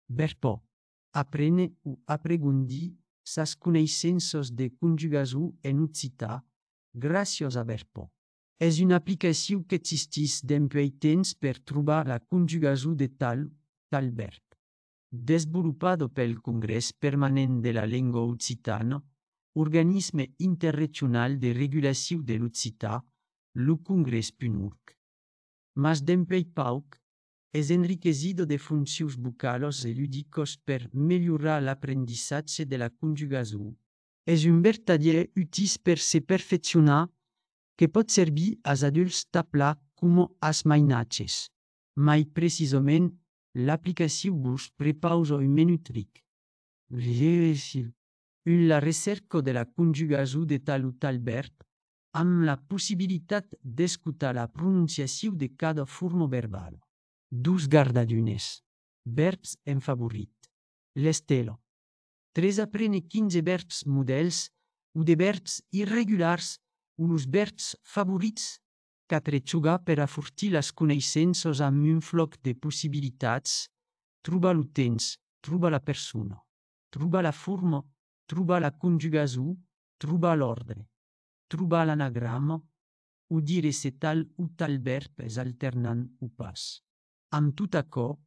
Verbo. Aprene o apregundir sas coneixences de conjugació en occitan gràcies a Verbo. És una aplicació que existeix dempuèi temps per trobar la conjugació de tal verb. Desenvolupado pel Congrés Permanent de la Llengua Occitana, organisme interregional de regulació de l'occitan, lo Congrés.org. Mas dempuèi pauc, és enriquecido de funcions vocales e lúdicos per melhorar l'aprendissatge de la conjugació. És un vertadier útil per se perfeccionar, que pot servir als adults tabla com als mainatges. Mai precisament, l'aplicació vos prepausa un menu tric. La recerca de la conjugació de tal o tal verb, amb la possibilitat d'escoltar la pronunciació de cada forma verbal. 2 gardadunes. Verbs en favorit. L'estelo. 3 aprene 15 verbs models o de verbs irregulars o los verbs favorits. 4 jugar per afortir les coneixences amb un floc de possibilitats. Trobar lo temps, trobar la persona. Trobar la forma, trobar la conjugació, trobar l'ordre. Trobar l'anagrama, o dire se tal o tal verb és alternant o pas. Amb tot açò,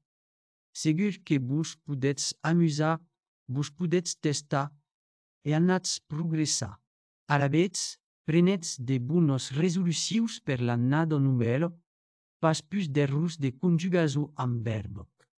segur que vos podetz amusar, vos podetz testar e anatz progressar. Alavetz, prenetz de bones resolucions per l'annada novella, pas plus d'errors de conjugació amb verb.